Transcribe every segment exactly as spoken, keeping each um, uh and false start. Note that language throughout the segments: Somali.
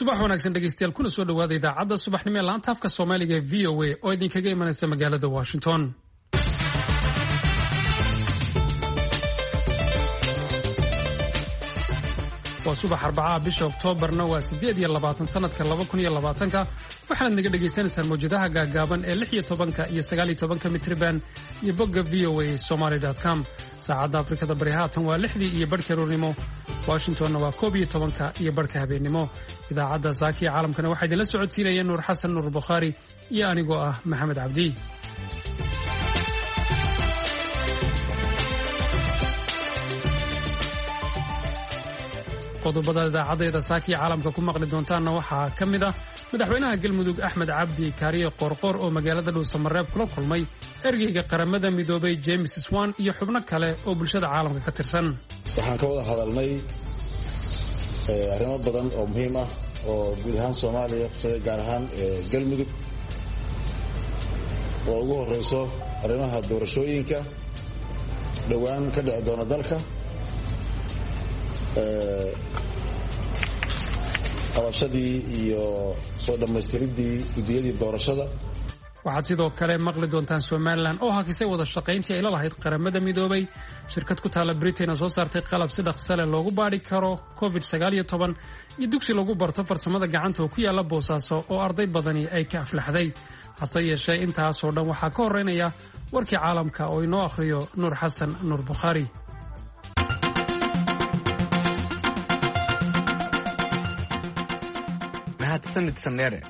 Subax wanaagsan dhegeystayaal, kuna soo dhawaada idaacadda subaxnimo ee laanta afka Soomaaliga ee V O A oo idinkaga imanaysa magaalada Washington. Waa subax Arbacaha, bisha Oktoobarna waa siddeed iyo labaatan sanadka laba kun iyo labaatanka. Waxaanaad naga dhagaysanaysaan mawjadaha gaagaaban ee lix iyo tobanka iyo sagaal iyo tobanka mitriban iyo bogga V O A somaly com. Saacadda Afrikada Bari haatan waa lixdii iyo barhka aroornimo, Washingtonna waa koob iyo tobanka iyo barhka habeennimo. Idaacadda Saakiya Caalamkana waxaa idinla socodsiinaya Nuur Xasan Nuur Bukhaari iyo anigoo ah Maxamed Cabdi. Qodobada idaacadayda Saakiya Caalamka ku maqli doontaanna waxaa ka mid ah madaxweynaha Galmudug Axmed Cabdi Kaariye Qoorqoor oo magaalada Dhuusamareeb kula kulmay ergeyga Qaramada Midoobay James Swan iyo xubno kale oo bulshada caalamka ka tirsan. Waxaan ka wada hadalnay arrimo badan oo muhiim ah oo guud ahaan Soomaaliya kusaday, gaar ahaan Galmudug, oo ugu horeyso arrimaha doorashooyinka dhowaan ka dhici doona dalka, qabashadii iyo soo dhammaystiridii guddiyadii doorashada. Waxaad sidoo kale maqli doontaan Somalilan oo hakisay wada shaqayntii ay la lahayd Qaramada Midoobay, shirkad ku taalla Britain oo soo saartay qalab si dhaqsale loogu baadhi karo covid sagaal iyo toban, iyo dugsi lagu barto farsamada gacanta oo ku yaalla Boosaaso oo arday badani ay ka aflaxday. Hase yeeshee intaasoo dhan waxaa ka horreynaya warkii caalamka oo inoo akhriyo Nuur Xasan Nuur Bukhaari. Mahadsanid Sandheere.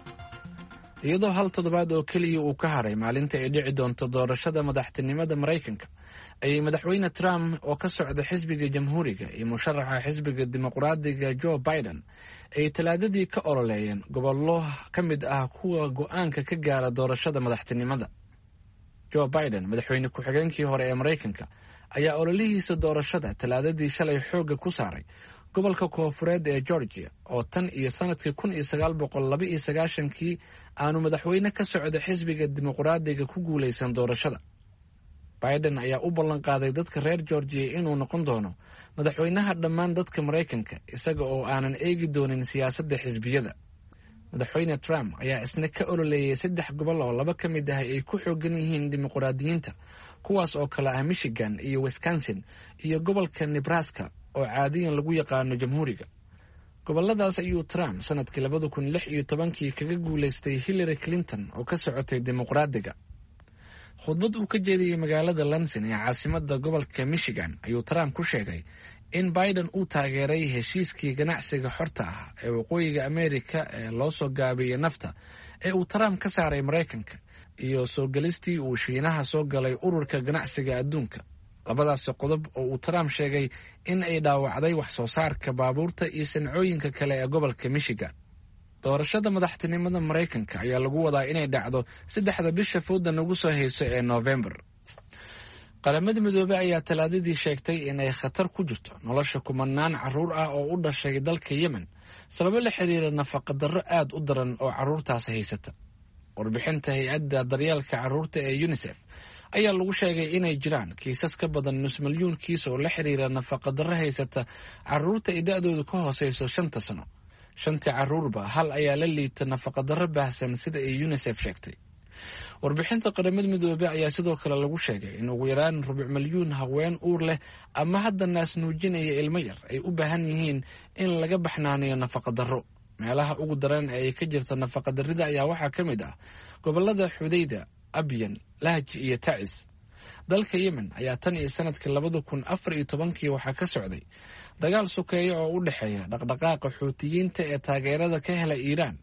Iyadoo hal toddobaad oo keliya uu ka haray maalinta ay dhici doonto doorashada madaxtinimada Maraykanka, ayay madaxweyne Trump oo ka socda xisbiga Jamhuuriga iyo musharaxa xisbiga Dimuqraadiga Joe Biden ay Talaadadii ka ololeeyeen gobollo ka mid ah kuwa go-aanka ka gaara doorashada madaxtinimada. Joe Biden, madaxweyne ku-xigeenkii hore ee Maraykanka, ayaa ololihiisa doorashada Talaadadii shalay xoogga ku saaray gobolka koonfureed ee Georgia oo tan iyo sanadkii kun iyo sagaal boqol laba iyo sagaashankii aanu madaxweyne ka socda xisbiga Dimuqraadiga ku guulaysan doorashada. Biden ayaa u ballan qaaday dadka reer Georgia inuu noqon doono madaxweynaha dhammaan dadka Maraykanka, isaga oo aanan eegi doonin siyaasadda xisbiyada. Madaxweyne Trump ayaa isna ka ololeeyay saddex gobol oo laba ka mid ah ay ku xoogan yihiin dimuqraadiyiinta, kuwaas oo kale ah Michigan iyo Wisconsin iyo gobolka Nebraska oo caadiyan lagu yaqaano Jamhuuriga. Goboladaas ayuu Trump sanadkii labada kun lix iyo tobankii kaga guulaystay Hillary Clinton oo ka socotay Dimuqraadiga. Khudbad uu ka jeediyey magaalada Lansing ee caasimada gobolka Michigan ayuu Trump ku sheegay in Biden uu taageeray heshiiskii ganacsiga xorta ah ee Waqooyiga Amerika ee loo soo gaabiyey NAFTA ee uu Trump ka saaray Maraykanka iyo soo gelistii uu Shiinaha soo galay Ururka Ganacsiga Adduunka, labadaasi qodob oo uu Trump sheegay in ay dhaawacday wax soo saarka baabuurta iyo sancooyinka kale ee gobolka Michigan. Doorashada madaxtinimada Maraykanka ayaa lagu wadaa inay dhacdo saddexda bisha fooda nagu soo hayso ee Noofembar. Qaramada Midoobey ayaa Talaadadii sheegtay inay khatar ku jirto nolosha kumanaan caruur ah oo u dhashay dalka Yemen sababo la xiriira nafaqadarro aad u daran oo caruurtaasi haysata. Warbixinta hay-adda daryeelka caruurta ee UNICEF ayaa lagu sheegay inay jiraan kiisas ka badan nus milyuun kiis oo la xiriira nafaqadarro haysata caruurta ay da-doodu ka hooseyso shanta sano. Shantii caruurba hal ayaa la liita nafaqadarro baahsan, sida ay UNICEF sheegtay. Warbixinta Qaramada Midoobey ayaa sidoo kale lagu sheegay in ugu yaraan rubuc milyuun haween uur leh ama hadda naas nuujinaya ilmo yar ay u baahan yihiin in laga baxnaaniyo nafaqadarro. Meelaha ugu daran ee ay ka jirto nafaqadarrida ayaa waxaa ka mid ah gobolada Xudayda, Abyan, Lahj iyo Tacis. Dalka Yemen ayaa tan iyo sanadkii labada kun afar iyo tobankii waxaa ka socday dagaal sokeeya oo u dhexeeya dhaqdhaqaaqa Xuutiyiinta ee taageerada ka hela Iiraan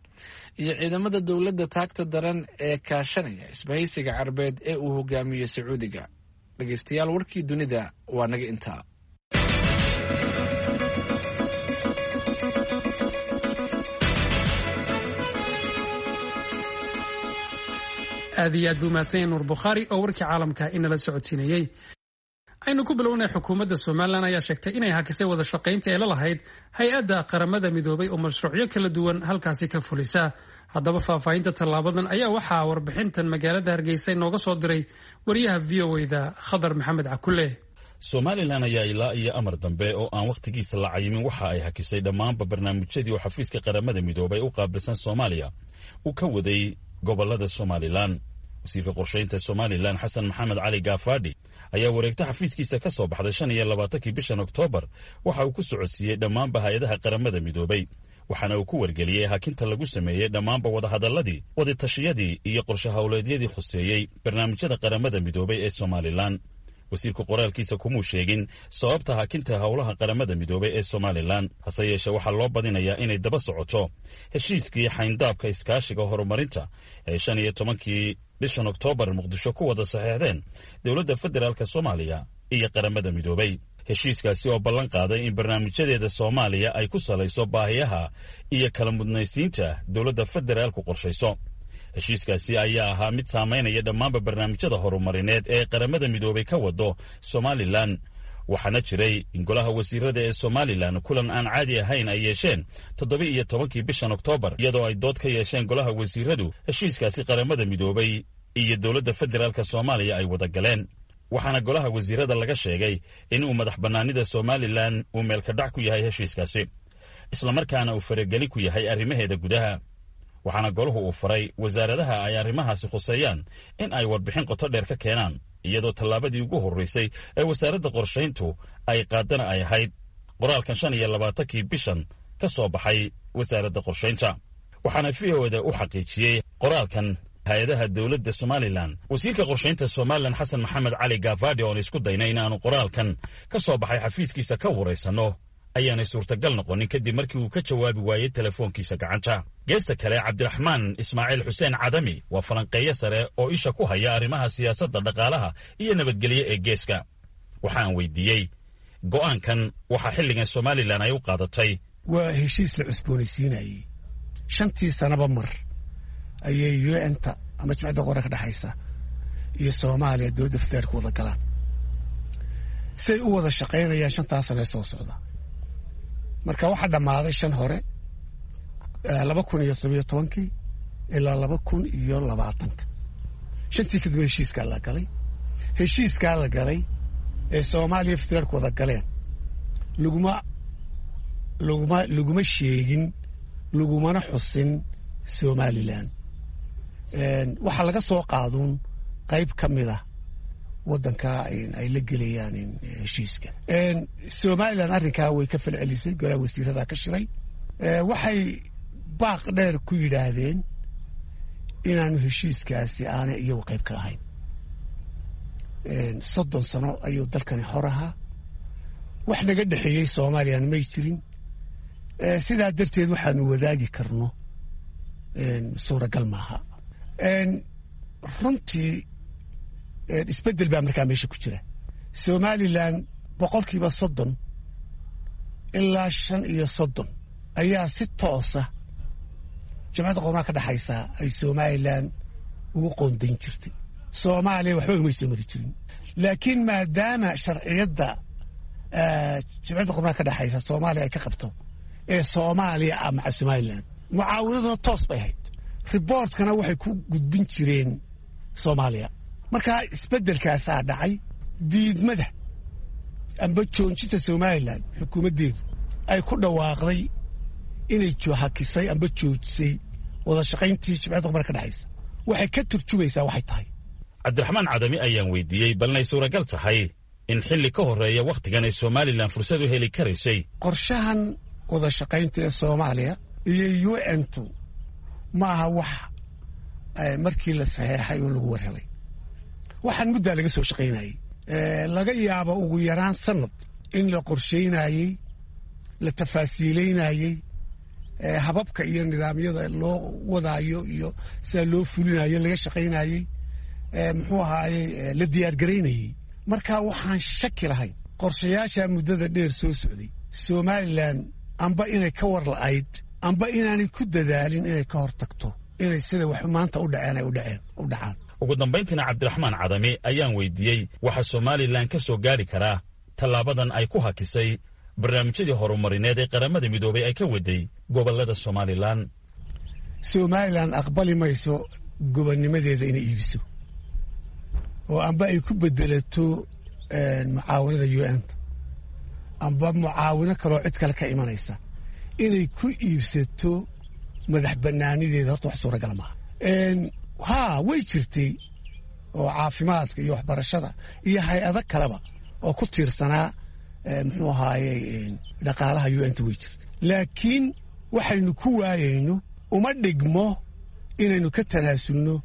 iyo ciidamada dowladda taagta daran ee kaashanaya isbahaysiga Carbeed ee uu hogaamiyo Sacuudiga. Dhegeystayaal, warkii dunida waa naga intaa. Aad iyo aad buu mahadsan yahay Nuur Bukhaari oo warkii caalamka inala socodsiinayey. Aynu ku bilownay, xukuumadda Somalilan ayaa sheegtay inay hakisay wada shaqayntii ay la lahayd hay-adda Qaramada Midoobay oo mashruucyo kala duwan halkaasi ka fulisa. Haddaba faahfaahinta tallaabadan ayaa waxaa warbixintan magaalada Hargeysa inooga soo diray wariyaha V O a da Khadar Maxamed Cakulle. Somalilan ayaa ilaa iyo amar dambe oo aan wakhtigiisa la cayimin waxa ay hakisay dhammaanba barnaamijyadii oo xafiiska Qaramada Midoobay u qaabilsan Soomaaliya uu ka waday gobollada Somalilan. Wasiirka qorshaynta Somalilan Xasan Maxamed Cali Gaafadhi ayaa wareegta xafiiskiisa ka soo baxday shan iyo labaatankii bishan Oktoobar waxa uu ku socodsiiyey dhammaanba hay-adaha Qaramada Midoobay, waxaana uu ku wargeliyey hakinta lagu sameeyey dhammaanba wadahadalladii, wadatashiyadii iyo qorshe howleedyadii khuseeyey barnaamijyada Qaramada Midoobay ee Somalilan. Wasiirku qoraalkiisa kumuu sheegin sababta hakinta howlaha Qaramada Midoobay ee Somalilan, hase yeeshee waxaa loo badinayaa inay daba socoto heshiiskii xayndaabka iskaashiga horumarinta ee shan iyo tobankii bishan Oktoobar Muqdisho ku wada saxeexdeen dowladda federaalk Soomaaliya iyo Qaramada Midoobay. Heshiiskaasi oo ballan qaaday in barnaamijyadeeda Soomaaliya ay ku salayso baahiyaha iyo kala mudnaysiinta dowladda federaalku qorshayso. Heshiiskaasi ayaa ahaa mid saamaynaya dhammaanba barnaamijyada horumarineed ee Qaramada Midoobay ka wado Somalilan, waxaana jiray in golaha wasiirada ee Somalilan kulan aan caadi ahayn ay yeesheen toddoba iyo tobankii bishan Oktoobar, iyadoo ay dood ka yeesheen golaha wasiiradu heshiiskaasi Qaramada Midoobay iyo dowladda federaalk Soomaaliya ay wada galeen. Waxaana golaha wasiirada laga sheegay in uu madax bannaanida Somalilan uu meelkadhac ku yahay heshiiskaasi, islamarkaana uu faragelin ku yahay arrimaheeda gudaha. Waxaana golahu uu faray wasaaradaha ay arrimahaasi khuseeyaan in ay warbixin qoto dheer ka keenaan, iyadoo tallaabadii ugu horraysay ee wasaaradda qorshayntu ay qaadana ay ahayd qoraalkan shan iyo labaatankii bishan ka soo baxay wasaaradda qorshaynta. Waxaana V O da u xaqiijiyey qoraalkan hay-adaha dowladda Somalilan wasiirka qorshaynta Somalilan Xasan Maxamed Cali Gaafadhi, oon isku daynay inaanu qoraalkan ka soo baxay xafiiskiisa ka waraysanno ayaanay suurtagal noqonin kadib markii uu ka jawaabi waayey telefoonkiisa gacanta. Geesta kale, Cabdiraxmaan Ismaaciil Xuseen Cadami waa falanqeeyo sare oo isha ku haya arrimaha siyaasadda, dhaqaalaha iyo nabadgelyo ee geeska. Waxaan weydiiyey go'aankan waxaa xilligan Somalilan ay u qaadatay. Waa heshiis la cusboonaysiinayey shantii sanaba mar ayay U N-ta ama Jimcadda Qora ka dhexaysa iyo Soomaaliya dowladda federaalka wada galaan say u wada shaqaynayaan shantaa sane soo socda. Marka waxaa dhammaaday shan hore, laba kun iyo todobiyo tobankii ilaa laba kun iyo labaatanka. Shantii kadib heshiiskaa la galay. Heshiiskaa la galay ee Soomaaliya federaalku wada galeen laguma laguma laguma sheegin, lagumana xusin Somalilan. Waxaa laga soo qaaduun qayb ka mid ah waddanka ay la gelayaan heshiiska. Somalilan arrinkaa way ka falcelisay. Golaha wasiirada ka shiray waxay baaq dheer ku yidhaahdeen inaanu heshiiskaasi aanay iyagu qayb ka ahayn. Soddon sano ayuu dalkani xor ahaa, wax naga dhexeeyey Soomaaliyana may jirin. Sidaa darteed waxaanu wadaagi karno suuragal maaha. Runtii isbeddel baa markaa meesha ku jira. Somalilan boqolkiiba soddon ilaa shan iyo soddon ayaa si toosa Jamcadda Qormaha ka dhexaysaa ay Somalilan ugu qoondayn jirtay. Soomaaliya waxba umay soo mari jirin, laakiin maadaama sharciyadda Jamcadda Qormaha ka dhexaysa Soomaaliya ay ka qabto ee Soomaaliya ah maca Somalilan, mucaawinaduna toos bay ahayd, reportkana waxay ku gudbin jireen Soomaaliya. Markaa isbeddelkaasaa dhacay. Diidmada amba joojinta Somalilan xukuumaddeedu ay ku dhawaaqday inay hakisay amba joojisay wada shaqayntii Jimcadda Qormaha ka dhexaysa waxay ka turjumaysaa waxay tahay. Cabdiraxmaan Cadami ayaan weydiiyey balnay suuragal tahay in xilli ka horreeya wakhtigan ay Somalilan fursad u heli karaysay. Qorshahan wada shaqaynta ee Soomaaliya iyo U N-tu ma aha wax markii la saxeexay un lagu war helay. Waxaan muddaa laga soo shaqaynayey, laga yaabo ugu yaraan sanad in la qorshaynayey, la tafaasiileynayey hababka iyo nidaamyada loo wadaayo iyo sida loo fulinayo laga shaqaynayey, muxuu ahaayey, la diyaargaraynayey. Marka waxaan shaki lahayn qorshayaasha muddada dheer soo socday Somalilan amba inay ka war la'ayd amba inaanay ku dadaalin inay ka hor tagto inay sida wax maanta u dhaceen ay u dhaceen u dhacaan. Ugu dambayntiina, Cabdiraxmaan Cadami ayaan weydiiyey waxa Somalilan ka soo gaari karaa tallaabadan ay ku hakisay barnaamijyadii horumarineed ee Qaramada Midoobay ay ka waday gobollada Somalilan. Somalilan aqbali mayso gobonnimadeeda inay iibiso oo amba ay ku bedelato Mucaawanada U N ta amba mucaawino kaloo cid kale ka imanaysa inay ku iibsato madax banaanideeda, horta wax suuragal maaha. Haa, way jirtay oo caafimaadka iyo waxbarashada iyo hay-ado kaleba oo ku tiirsanaa, muxuu ahaaye, dhaqaalaha U N ta way jirtay, laakiin waxaynu ku waayayno uma dhigmo inaynu ka tanaasulno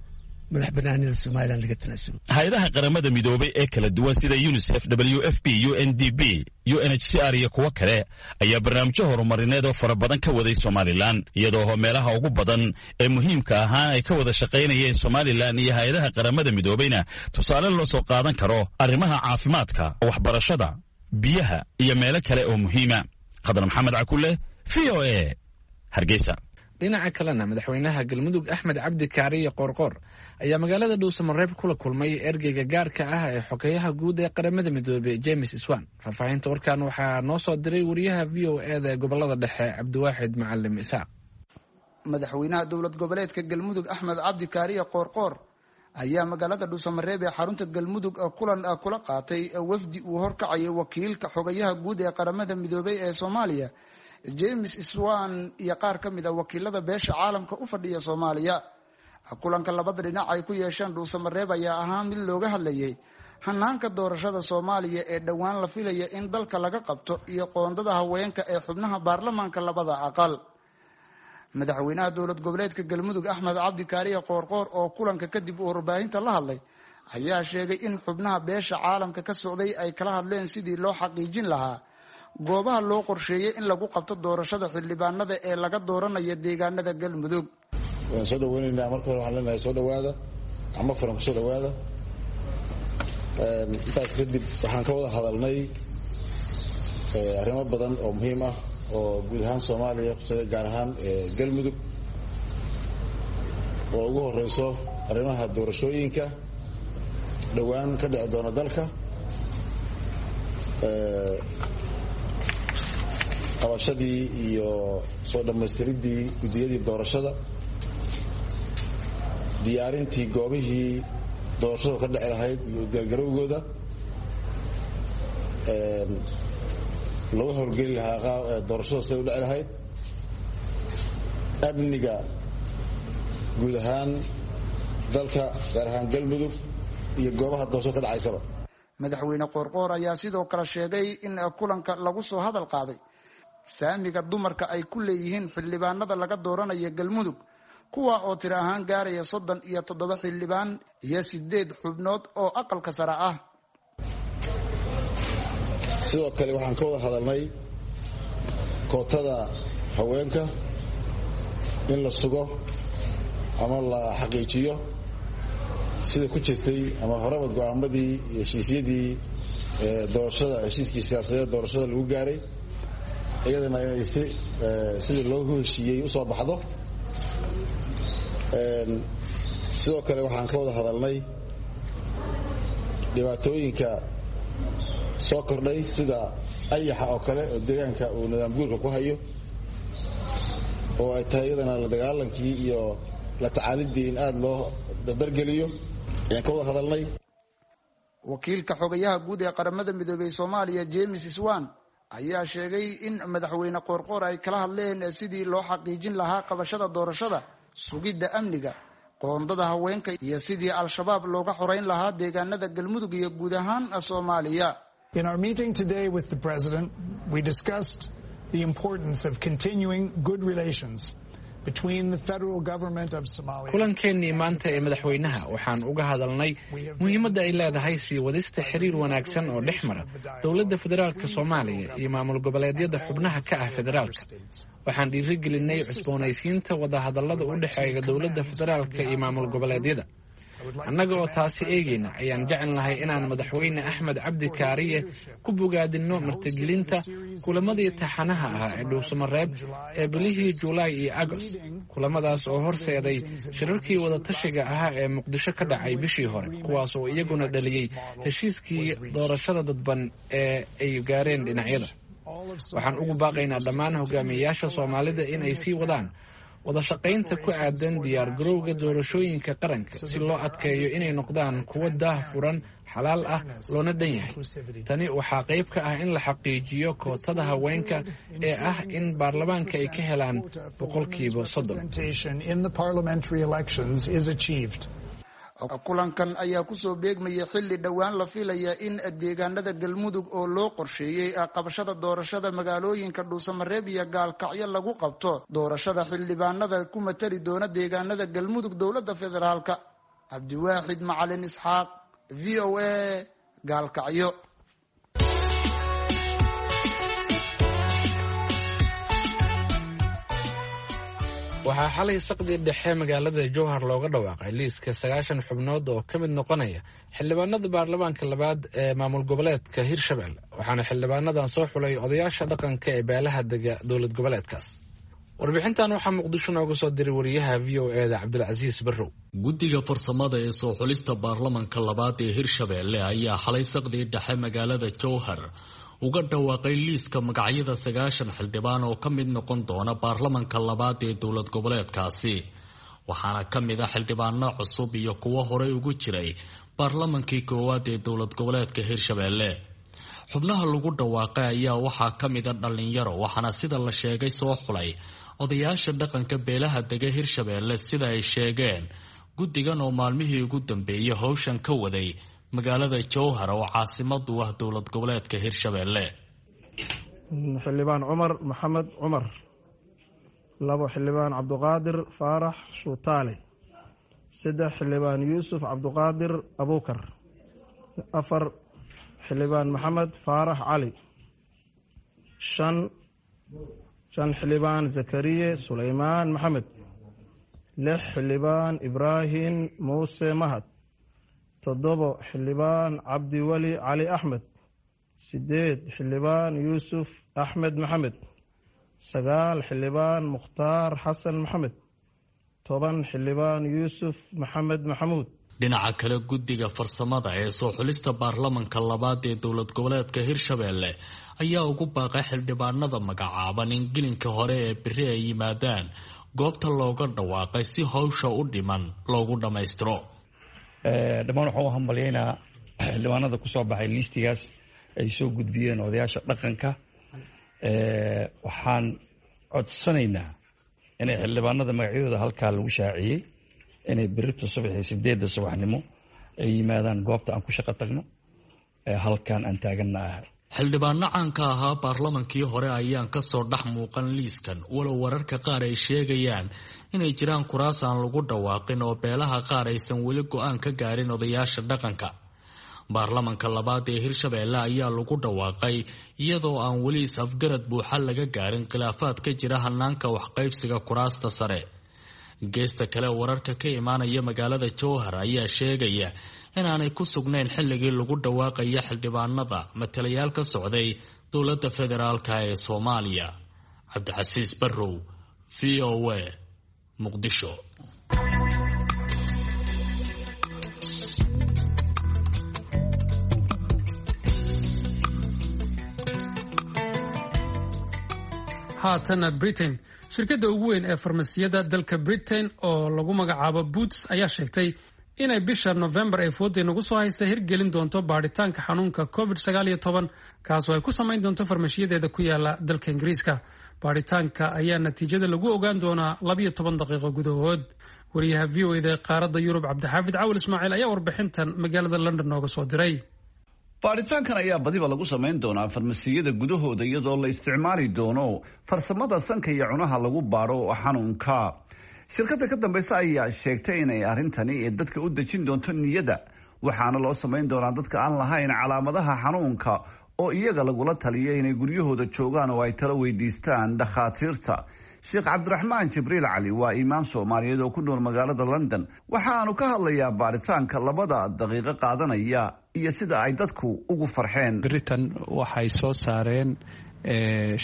madax banaanida Somalilan laga tanaasulo. Hay-adaha Qaramada Midoobay ee kala duwan sida UNICEF, W F P, U N D P, U N H C R iyo kuwo kale ayaa barnaamijyo horumarineed oo fara badan ka waday Somalilan, iyadoo meelaha ugu badan ee muhiimka ahaan ay ka wada shaqaynayeen Somalilan iyo hay-adaha Qaramada Midoobayna tusaale loo soo qaadan karo arrimaha caafimaadka, waxbarashada, biyaha iyo meelo kale oo muhiima. Khadar Maxamed Cakule, V O A, Hargeysa. Dhinaca kalena, madaxweynaha Galmudug Axmed Cabdi Kaariye Qoorqoor ayaa magaalada Dhuusamareeb kula kulmay ergeyga gaarka ah ee xogeyaha guud ee Qaramada Midoobey, James Swan. Faahfaahinta warkan waxaa noo soo diray wariyaha V O A da ee gobolada dhexe, Cabdiwaaxid Macalim Isaaq. Madaxweynaha dowlad goboleedka Galmudug Axmed Cabdi Kaariye Qoorqoor ayaa magaalada Dhuusamareeb ee xarunta Galmudug kulan kula qaatay wafdi uu horkacayay wakiilka xogayaha guud ee Qaramada Midoobey ee Soomaaliya, James Swan, iyo qaar ka mid a wakiilada beesha caalamka u fadhiya Soomaaliya. Kulanka labada dhinac ay ku yeesheen Dhuusamareeb ayaa ahaa mid looga hadlayay hanaanka doorashada Soomaaliya ee dhowaan la filaya in dalka laga qabto iyo qoondada haweenka ee xubnaha baarlamaanka labada aqal. Madaxweynaha dowlad goboleedka Galmudug Axmed Cabdi Kaariye Qoorqoor oo kulanka kadib uu warbaahinta la hadlay ayaa sheegay in xubnaha beesha caalamka ka socday ay kala hadleen sidii loo xaqiijin lahaa goobaha loo qorsheeyey in lagu qabto doorashada xildhibaanada ee laga dooranayo deegaanada Galmudug. Waan soo dhaweynaynaa. Marka hore waxaan leenahay soo dhawaada, gacmo furan kusoo dhawaada. Intaas kadib, waxaan ka wada hadalnay arrimo badan oo muhiim ah oo guud ahaan Soomaaliya kusaday, gaar ahaan Galmudug, oo ugu horeyso arrimaha doorashooyinka dhowaan ka dhici doona dalka, qabashadii iyo soo dhammaystiridii guddiyadii doorashada, diyaarintii goobihii doorashadu ka dhici lahayd iyo diyaargarowgooda lagu howlgeli lahaa doorashada siday u dhici lahayd, amniga guud ahaan dalka, gaar ahaan Galmudug iyo goobaha doorashada ka dhacaysaba. Madaxweyne Qoorqoor ayaa sidoo kale sheegay in kulanka lagu soo hadal qaaday saamiga dumarka ay ku leeyihiin xildhibaanada laga dooranayo Galmudug, kuwa oo tiro ahaan gaaraya soddon iyo toddoba xildhibaan iyo sideed xubnood oo aqalka sare ah. Sidoo kale waxaan ka wada hadalnay kootada haweenka in la sugo ama la xaqiijiyo sida ku jirtay ama horeba go'aamadii iyo heshiisyadii doorashada, heshiiskii siyaasadeed doorashada lagu gaaray, iyadana inay si sidii loogu heshiiyey usoo baxdo. Sidoo kale waxaan ka wada hadalnay dhibaatooyinka soo kordhay sida ayaxa oo kale oo deegaanka uu nidaam guurka ku hayo, oo ay tahay iyadana la dagaalankii iyo la tacaalidii in aada loo dardargeliyo ayaan ka wada hadalnay. Wakiilka xogayaha guud ee Qaramada Midoobey Soomaaliya, James Swan, ayaa sheegay in madaxweyne Qoorqoor ay kala hadleen sidii loo xaqiijin lahaa qabashada doorashada, sugidda amniga, qoondada haweenka iyo sidii Al-Shabaab looga xoreyn lahaa deegaanada Galmudug iyo guud ahaan Soomaaliya. In our meeting today with the President, we discussed the importance of continuing good relations between the federal government of Somalia. Kulankeenii maanta ee madaxweynaha waxaan uga hadalnay muhiimadda ay leedahay sii wadista xiriir wanaagsan oo dhex mara dowladda federaalka Soomaaliya iyo maamul goboleedyada xubnaha ka ah federaalka. Waxaan dhiirigelinay cusboonaysiinta wadahadallada u dhexeeya dowladda federaalka iyo maamul goboleedyada. Annaga oo taasi eegayna ayaan jecelnahay inaan madaxweyne Axmed Cabdi Kaariye ku bogaadinno martigelinta kulamadii taxanaha ahaa ee Dhuusamareeb ee bilihii Juulaay iyo Agost, kulamadaas oo horseeday shirarkii wadatashiga ahaa ee Muqdisho ka dhacay bishii hore, kuwaas oo iyaguna dhaliyey heshiiskii doorashada dadban ee ay gaareen dhinacyada. Waxaan ugu baaqaynaa dhammaan hogaamiyeyaasha Soomaalida in ay sii wadaan wadashaqaynta ku aadan diyaar garowga doorashooyinka qaranka si loo adkeeyo inay noqdaan kuwo daah furan, xalaal ah, loona dhan yahay. Tani waxaa qayb ka ah in la xaqiijiyo kootada haweenka ee ah in baarlamaanka ay ka helaan boqolkiiba soddon. Kulankan ayaa kusoo beegmaya xilli dhowaan la filaya in deegaanada Galmudug oo loo qorsheeyey qabashada doorashada magaalooyinka Dhuusamareeb iyo Gaalkacyo lagu qabto doorashada xildhibaanada ku matali doona deegaanada Galmudug dowladda federaalka. Cabdiwaaxid Macalin Isxaaq, V O A, Gaalkacyo. Waxaa xalay saqdii dhexe magaalada Jowhar looga dhawaaqay liiska sagaashan xubnood oo ka mid noqonaya xildhibaanada baarlamaanka labaad ee maamul goboleedka Hirshabelle, waxaana xildhibaanadan soo xulay odayaasha dhaqanka ee beelaha dega dowlad goboleedkaas. Warbixintan waxaa Muqdisho nooga soo diray wariyaha V O E da Cabdilcasiis Barrow. Guddiga farsamada ee soo xulista baarlamanka labaad ee Hirshabelle ayaa xalay saqdii dhexe magaalada Jowhar uga dhawaaqay liiska magacyada sagaashan xildhibaan oo ka mid noqon doona baarlamanka labaad ee dowlad goboleedkaasi, waxaana ka mid ah xildhibaano cusub iyo kuwo horey ugu jiray baarlamankii koowaad ee dowlad goboleedka Hirshabelle. Xubnaha lagu dhawaaqay ayaa waxaa ka mid a dhallinyaro, waxaana sida la sheegay soo xulay odayaasha dhaqanka beelaha dega Hirshabelle, sida ay sheegeen guddigan oo maalmihii ugu dambeeyay howshan ka waday magaalada Jowhar oo caasimadu ah dowlad goboleedka Hirshabelle. Xildhibaan Cumar Maxamed Cumar, labo xildhibaan Cabduqaadir Faarax Shuutaale, saddex xildhibaan Yuusuf Cabduqaadir Abuukar, afar xildhibaan Maxamed Faarax Cali, shan shan xildhibaan Zakariye Suleymaan Maxamed, lix xildhibaan Ibraahim Muuse Mahad, toddobo xildhibaan Cabdiweli Cali Axmed, sideed xildhibaan Yuusuf Axmed Maxamed, sagaal xildhibaan Mukhtaar Xasan Maxamed, toban xildhibaan Yuusuf Maxamed Maxamuud. Dhinaca kale, guddiga farsamada ee soo xulista baarlamanka labaad ee dowlad goboleedka Hirshabelle ayaa ugu baaqay xildhibaanada magacaaban in gelinka hore ee beri ay yimaadaan goobta looga dhawaaqay si howsha u dhiman loogu dhammaystiro. Dhammaan waxaan u hambalyaynaa xildhibaanada kusoo baxay liistigaas ay soo gudbiyeen odayaasha dhaqanka. Waxaan codsanaynaa inay xildhibaanada magacyadooda halkaa lagu shaaciyey inay berrito subaxii sideedda subaxnimo ay yimaadaan goobta aan ku shaqo tagno halkan aan taaganna ah. Xildhibaano caanka ahaa baarlamankii hore ayaan kasoo dhex muuqan liiskan, walow wararka qaar ay sheegayaan inay jiraan kuraas aan lagu dhawaaqin oo beelaha qaar aysan weli go-aan ka gaarin odayaasha dhaqanka. Baarlamanka labaad ee Hirshabelle ayaa lagu dhawaaqay iyadoo aan weli is-afgarad buuxa laga gaarin khilaafaad ka jira hanaanka waxqaybsiga kuraasta sare. Geesta kale, wararka ka imaanaya magaalada Jowhar ayaa sheegaya inaanay ku sugnayn xilligii lagu dhawaaqaya xildhibaanada matalayaal ka socday dowladda federaalka ee Soomaaliya. Cabdicasiis Barrow, V O A, Muqdisho. Haatana Britain. Shirkadda ugu weyn ee farmasiyada dalka Britain oo lagu magacaabo Boots ayaa sheegtay inay bisha November ee fooda nagu soo haysa hirgelin doonto baadhitaanka xanuunka covid sagaal iyo toban, kaasoo ay ku samayn doonto farmashiyadeeda ku yaala dalka Ingiriiska. Baadhitaanka ayaa natiijada lagu ogaan doonaa labiyo toban daqiiqo gudahood. Wariyaha V O E da ee qaaradda Yurub Cabdixaafid Cawil Ismaaciil ayaa warbixintan magaalada London nooga soo diray. Baaritaankan ayaa badiba lagu samayn doonaa farmasiyada gudahooda iyadoo la isticmaali doono farsamada sanka iyo cunaha lagu baaro xanuunka. Shirkadda ka dambaysa ayaa sheegtay inay arrintani dadka u dejin doonto niyada, waxaana loo samayn doonaa dadka aan lahayn calaamadaha xanuunka oo iyaga lagula taliyo inay guryahooda joogaan oo ay talo weydiistaan dhakhaatiirta. Sheekh Cabdiraxmaan Jibriil Cali waa imaam Soomaaliyeed oo ku nool magaalada London. Waxaanu ka hadlayaa baaritaanka labada daqiiqo qaadanaya iyo sida ay dadku ugu farxeen. Britain waxay soo saareen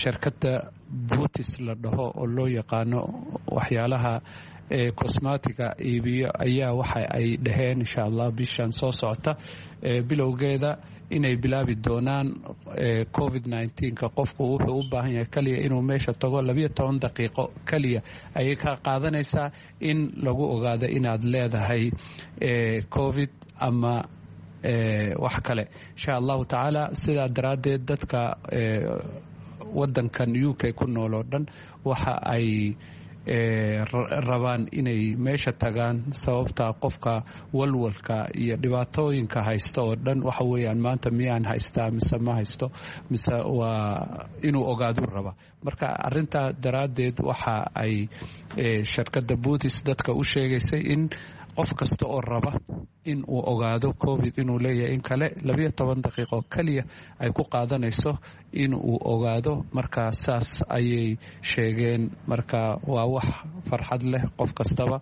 shirkadda Boots la dhaho oo loo yaqaano waxyaalaha cosmetiga iibiyo ayaa waxa ay dhaheen insha Allah bishan soo socota bilowgeeda inay bilaabi doonaan covid nineteen-ka. Qofku wuxuu u baahan yahay kaliya inuu meesha tago, labiyo toban daqiiqo kaliya ayay ka qaadanaysaa in lagu ogaado inaad leedahay covid ama wax kale insha allahu tacaala. Sidaa daraaddeed dadka wadankan U K ku nool oo dhan waxa ay rabaan inay meesha tagaan, sababta qofka walwalka iyo dhibaatooyinka haysta oo dhan waxa weeyaan maanta miyaan haystaa mise ma haysto, mise waa inuu ogaaduu raba. Marka arintaa daraaddeed waxa ay shirkadda Boots dadka u sheegaysay in qof kasta oo raba in uu ogaado covid inuu leeyahay in kale labiyo toban daqiiqo keliya ay ku qaadanayso in uu ogaado. Marka saas ayay sheegeen. Marka waa wax farxad leh, qof kastaba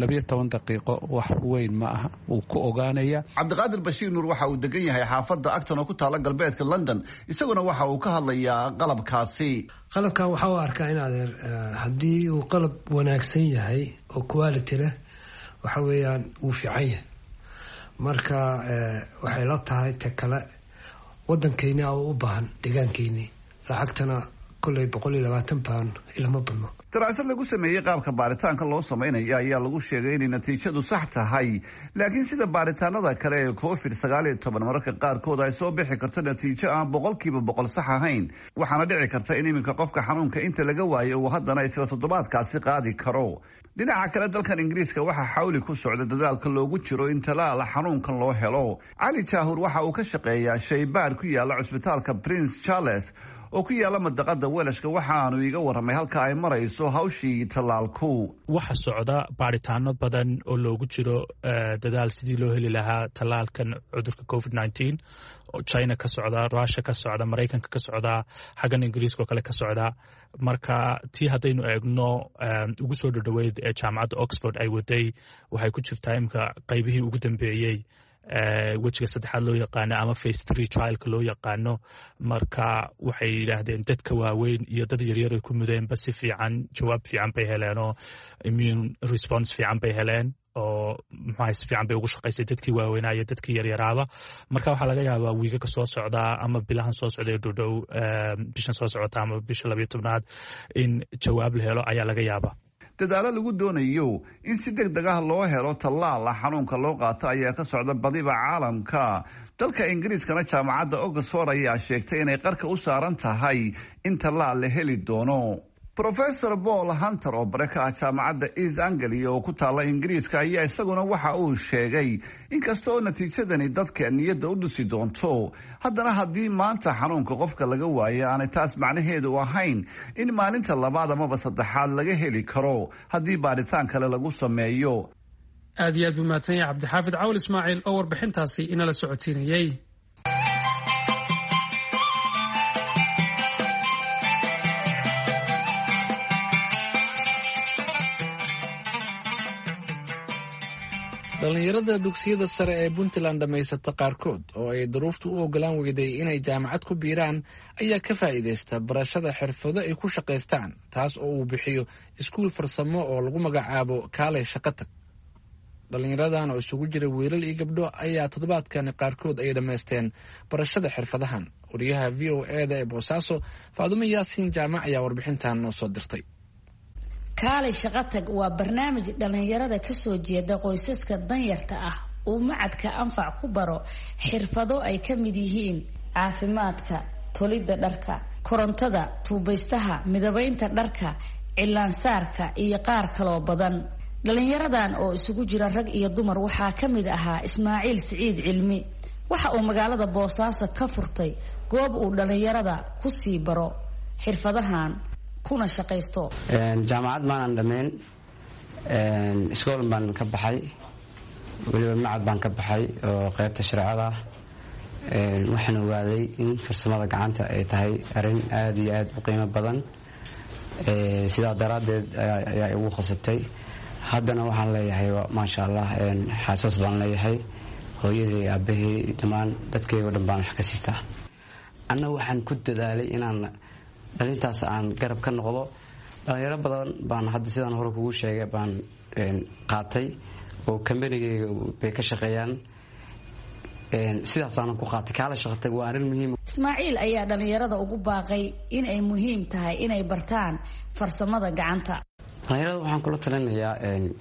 labiyo toban daqiiqo wax weyn ma aha, uu ku ogaanaya. Cabdiqaadir Bashiir Nuur waxa uu degan yahay xaafadda Acton oo ku taala galbeedka London, isaguna waxa uu ka hadlayaa qalabkaasi. Qalabkan waxaa u arkaa in adeer haddii uu qalab wanaagsan yahay oo quality leh, waxa weeyaan wuu fiican yahay. Marka waxay la tahay ta kale wadankeyni oo u baahan deegaankeyni, lacagtana koley boqol iyo labaatan pound ilama badno. Daraasad lagu sameeyey qaabka baaritaanka loo samaynayo ayaa lagu sheegay inay natiijadu sax tahay, laakiin sida baaritaanada kale ee covid sagaal iyo toban mararka qaarkood ay soo bixi karto natiijo aan boqolkiiba boqol sax ahayn. Waxaana dhici karta in iminka qofka xanuunka inta laga waayo uu haddana isla toddobaadkaasi qaadi karo. Dhinaca kale, dalkan Ingiriiska waxaa xawli ku socda dadaalka loogu jiro in talaala xanuunkan loo helo. Cali Jaahur waxa uu ka shaqeeyaa shaybaar ku yaala cusbitaalka Prince Charles oo ku yaala madaqada Welashka, waxaanu iiga warramay halka ay marayso hawshii tallaalku. Waxa socda baaritaano badan oo loogu jiro dadaal sidii loo heli lahaa tallaalkan cudurka covid nineteen, oo China ka socda, Russia ka socda, Maraykanka ka socda, xaggan Ingiriiska oo kale ka socda. Marka tii haddaynu eegno ugu soo dhodhoweyd ee jaamacadda Oxford ay waday, waxay ku jirtaa imika qaybihii ugu dambeeyey, wejiga saddexaad loo yaqaano ama phase three trialka loo yaqaano. Marka waxay yidhaahdeen dadka waaweyn iyo dad yaryar ay ku mudeenba si fiican jawaab fiican bay heleen oo immune response fiican bay heleen, oo muxuahay si fiican bay ugu shaqaysay dadkii waaweynaa iyo dadkii yaryaraaba. Marka waxaa laga yaabaa wiigaka soo socdaa ama bilahan soo socda ee dhodhow, bishan soo socota ama bisha labiyo tobnaad, in jawaab la helo ayaa laga yaabaa. Dadaalo lagu doonayo in si deg deg ah loo helo tallaala xanuunka loo qaato ayaa ka socda badiba caalamka. Dalka Ingiriiskana jaamacadda Oxford ayaa sheegtay inay qarka u saaran tahay in tallaal la heli doono. Professor Paul Hunter oo bare ka ah jaamacadda East Anglia oo ku taalla Ingiriiska ayaa isaguna waxa uu sheegay inkasta oo natiijadani dadka niyadda u dhisi doonto, haddana haddii maanta xanuunka qofka laga waayo aanay taas macnaheedu ahayn in maalinta labaad amaba saddexaad laga heli karo haddii baaritaan kale lagu sameeyo. Aad iyo aad buu mahadsan yahay Cabdixaafid Cawl Ismaaciil oo warbixintaasi inala socodsiinayey. Dhallinyarada dugsiyada sare ee Puntland dhammaysata qaarkood oo ay duruuftu u ogolaan weyday inay jaamacad ku biiraan ayaa ka faa'iidaysta barashada xirfado ay ku shaqaystaan, taas oo uu bixiyo iskuul farsamo oo lagu magacaabo Kaalay Shaqatag. Dhallinyaradan oo isugu jira wiilal iyo gabdho ayaa toddobaadkan qaarkood ay dhammaysteen barashada xirfadahan. Wariyaha V O e da ee Boosaaso, Faadumo Yaasiin Jaamac, ayaa warbixintan noo soo dirtay. Kaalay Shaqatag waa barnaamij dhallinyarada kasoo jeeda qoysaska danyarta ah uu macadka Anfac ku baro xirfado ay ka mid yihiin caafimaadka, tolidda dharka, korontada, tuubaystaha, midabaynta dharka, cilaansaarka iyo qaar kaloo badan. Dhallinyaradan oo isugu jira rag iyo dumar waxaa ka mid ahaa Ismaaciil Siciid Cilmi. Waxa uu magaalada Boosaaso ka furtay goob uu dhallinyarada ku sii baro xirfadahan kuna shaqaysto. Jaamacad maanan dhammayn, iskool baan ka baxay, weliba macad baan ka baxay oo qaybta shareecada ah. Waxaan ogaaday in farsamada gacanta ay tahay arrin aada iyo aada u qiimo badan, sidaa daraaddeed ayaa igu khasabtay. Haddana waxaan leeyahay maasha Allah, xaasas baan leeyahay, hooyadii, aabahey, dhammaan dadkaygo dhan baan wax ka sitaa. Anna waxaan ku dadaalay inaan dhalintaas aan garab ka noqdo. Dhalinyaro badan baan hadda sidaan hore kugu sheegay baan qaatay oo kambanigayga bay ka shaqeeyaan, sidaasaanan ku qaatay. Kaala Shaqatag waa arrin muhiim. Ismaaciil ayaa dhalinyarada ugu baaqay in ay muhiim tahay inay bartaan farsamada gacanta. Dhalinyarada waxaan kula talinayaa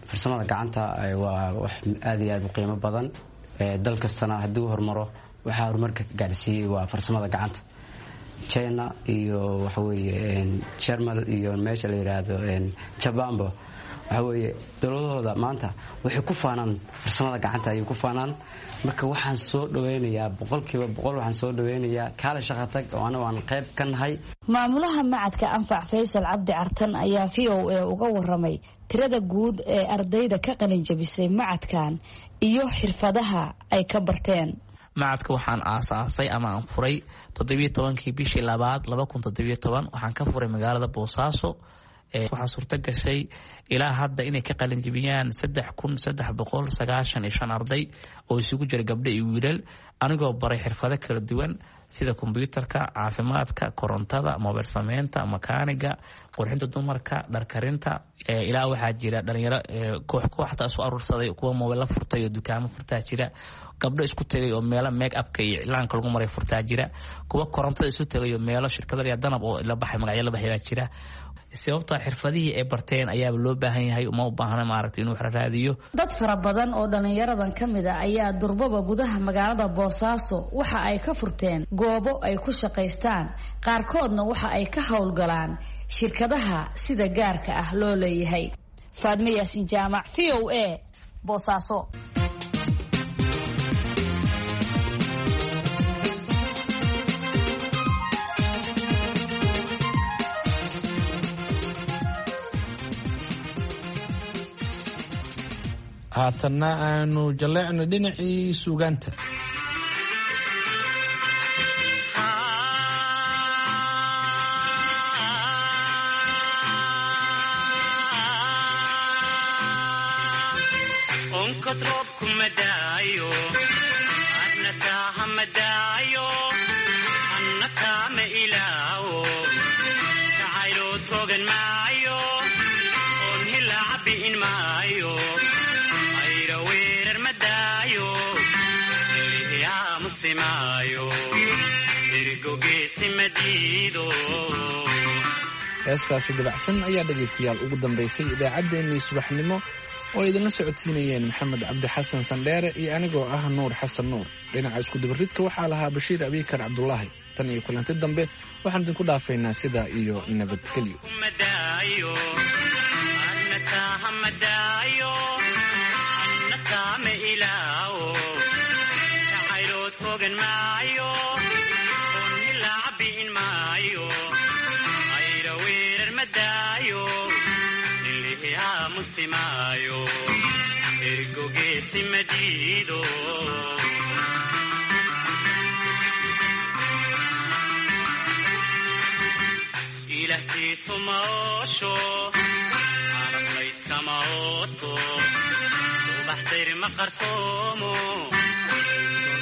farsamada gacanta waa wax aada iyo aada u qiimo badan. Dal kastana haddii u horumaro, waxaa horumarka gaadhsiiyey waa farsamada gacanta. China iyo waxaweeye Jermal iyo meesha la yidhaahdo Jabanba, waxaweeye dowladahooda maanta waxay ku faanaan farsamada gacanta ayay ku faanaan. Marka waxaan soo dhaweynayaa boqolkiiba boqol, waxaan soo dhaweynayaa Kaala Shaqatag oo anagu aan qayb ka nahay. Maamulaha macadka Anfac, Faysal Cabdi Cartan, ayaa V O A uga waramay tirada guud ee ardayda ka qalinjabisay macadkan iyo xirfadaha ay ka barteen. Macadka waxaan aasaasay ama aan furay toddobiyo tobankii bishii labaad laba kun toddobiyo toban. Waxaan ka furay magaalada Boosaaso. Waxaa suurto gashay ilaa hadda inay ka qalinjibiyaan saddex kun saddex boqol sagaashan iyo shan arday oo isugu jira gabdho iyo wiilal, anigoo baray xirfado kala duwan sida kombyuutarka, caafimaadka, korontada, mobeel sameynta, makaaniga, qurxinta dumarka, dharkarinta. Ilaa waxaa jira dhalinyaro koox kooxta isu aruursaday, kuwa mobeella furtay oo dukaamo furtaa jira, gabdho isku tegay oo meelo make upka iyo iclaanka lagu maray furtaa jira, kuwa korontada isu tegay oo meelo shirkada danab oo la baxay, magacyo la baxay baa jira. Sababta xirfadihii ay barteen ayaaba loo baahan yahay, uma u baahna maaragtay inuu wax raadiyo. Dad fara badan oo dhallinyaradan ka mid a ayaa durbaba gudaha magaalada Boosaaso waxa ay ka furteen goobo ay ku shaqaystaan, qaarkoodna waxa ay ka howlgalaan shirkadaha sida gaarka ah loo leeyahay. Faadme Yaasin Jaamac, V O A, Boosaaso. Haatanna aanu jalleecno dhinacii suugaanta. Onkod roobku madaayo, anna taaha madaayo, anna taama ilaawo, jacaylood rogan maayo, oon hilaaca bi'in maayo, ayra weerar madaayo, elihiyaamusi maayo, ergogeesi madiido. Heestaasi dabacsan ayaa dhegaystayaal ugu dambaysay idaacaddeenii subaxnimo oo ay idinla socodsiinayeen Maxamed Cabdi Xasan Sandheere iyo anigoo ah Nuur Xasan Nuur. Dhinaca iskudubaridka waxaa lahaa Bashiir Abiikar Cabdulaahi. Tan iyo kulanti dambe, waxaan idinku dhaafaynaa sidaa iyo nabadgelyo. Madaayo, anna taaha madaayo, anna taama ilaawo, jacaylood fogan maayo, oon hilaaca bi'in maayo, ayra weerar madaayo, nilihiyaamusi maayo, ergogeesi madiido. Ilahkiisu ma oosho, carablayskama ooto, ubaxdayr ma qarsoomo,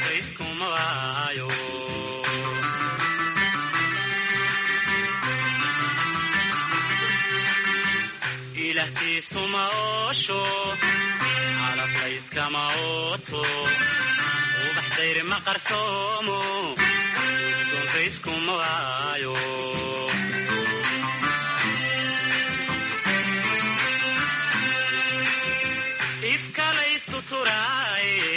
dayskuma waayo. Ilahkiisu ma oosho, carablayskama ooto, ubaxdayr ma qarsoomo, dayskuma waayo. Ifkalaystu turaaye,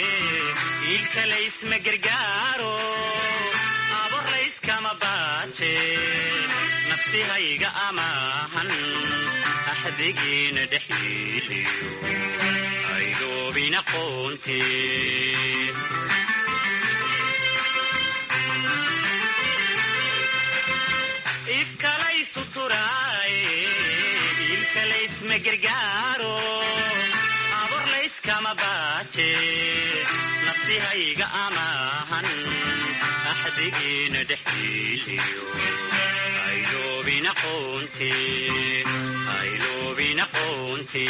ilkalaysma gargaaro, aborlayskama baaje, nafsihayga amaahan, axdigiina dhexyeeliyo, aydoobina qoonte. Ifkalaysu turaaye, ilkalaysma gargaaro, aborlayskama baaje, nafsihayga amaahan, axdigiina dhexyeeliyo, ayloobina qoonte, ayloobina qoonte.